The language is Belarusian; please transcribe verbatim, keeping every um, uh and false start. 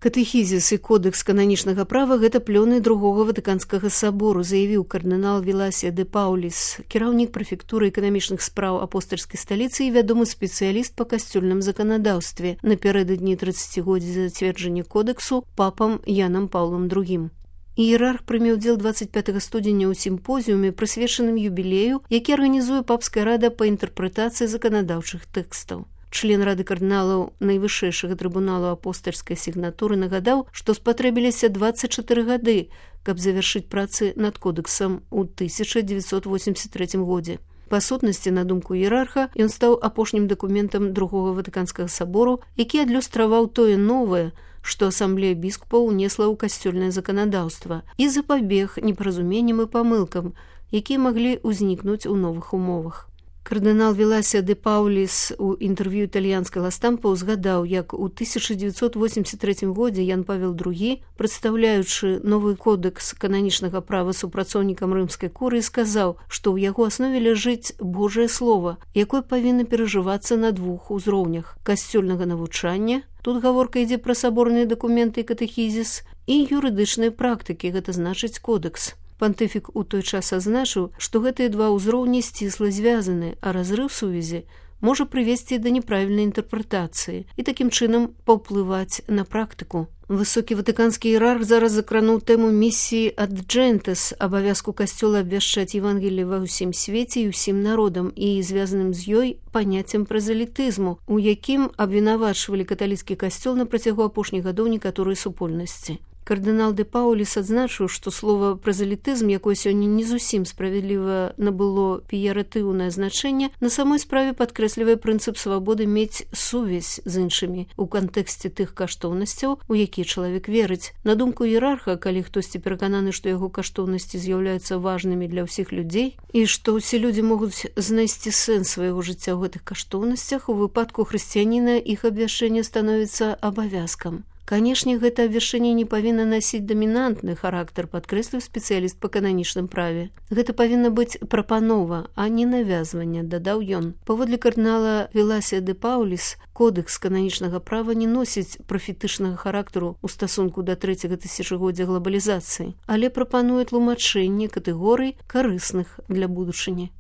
Катэхізіс і кодэкс кананічнага права – гэта плёны другога ватыканскага сабору, заявіў кардынал Віласія де Пауліс, кіраўнік прэфектуры эканамічных спраў апостальскай сталіцы і вядомы спецыяліст па касцёльным заканадаўстве напярэдадні трыццацігоддзя зацверджання кодэксу папам Янам Паўлам другім. Іерарх прыме ўдзел дваццаць пятага студзеня ў сімпозіуме, прысвечаным юбілею, які арганізуе папская рада па інтэрпрэтацыі заканадаўчых тэкстаў. Член рады кардыналаў найвышэйшага трыбуналу апостальскай сігнатуры нагадаў, што спатрэбіліся дваццаць чатыры гады, каб завяршыць працы над кодэксам у тысяча дзевяцьсот восемьдесят трэцім годзе. Па сутнасці, на думку іерарха, ён стаў апошнім дакументам другога ватыканскага сабору, які адлюстраваў тое новае, што асамблея біскупаў унесла ў касцёльнае заканадаўства і запабег непаразуменням і памылкам, якія маглі ўзнікнуць у новых умовах. Кардынал Віласія де Пауліс у інтэрв'ю італьянскай Ла-Стампа узгадаў, як у тысяча дзевяцьсот восемьдесят трэцім годзе Ян Павел другі, прадстаўляючы новы кодэкс кананічнага права супрацоўнікам рымскай курыі, сказаў, што ў яго аснове ляжыць Божае Слова, якое павінна перажывацца на двух узроўнях – касцёльнага навучання, тут гаворка ідзе пра саборныя дакументы і катэхізіс, і юрыдычнай практыкі, гэта значыць кодэкс. Пантыфік у той час азначыў, што гэтыя два ўзроўні сцісла звязаны, а разрыў сувязі можа прывесці да неправільнай інтэрпрэтацыі і такім чынам паўплываць на практыку. Высокі ватыканскі іерарх зараз закрануў тэму місіі ад джэнтэс, абавязку касцёла абвяшчаць Евангеліе ва ўсім свеце і ўсім народам і звязаным з ёй паняццем празелітызму, у якім абвінавачвалі каталіцкі касцёл на працягу апошніх гадоў некаторыя супольнасці. Кардынал де Пауліс адзначыў, што слова празелітызм, якое сёння не зусім справядліва набыло пеяратыўнае значэнне, на самой справе падкрэслівае прынцып свабоды мець сувязь з іншымі у кантэксце тых каштоўнасцяў, у якія чалавек верыць. На думку іерарха, калі хтосьці перакананы, што яго каштоўнасці з'яўляюцца важнымі для ўсіх людзей і што ўсе людзі могуць знайсці сэнс свайго жыцця ў гэтых каштоўнасцях, у выпадку хрысціяніна іх абвяшчэнне становіцца абавязкам. Канешне, гэта абвяшчэнне не павінна насіць дамінантны характар, падкрэсліў спецыяліст па кананічным праве. Гэта павінна быць прапанова, а не навязванне, дадаў ён. Паводле кардынала Віласія де Пауліс, кодэкс кананічнага права не носіць прафетычнага характару ў стасунку да трэцяга тысячагоддзя глабалізацыі, але прапануе тлумачэнне катэгорый карысных для будучыні.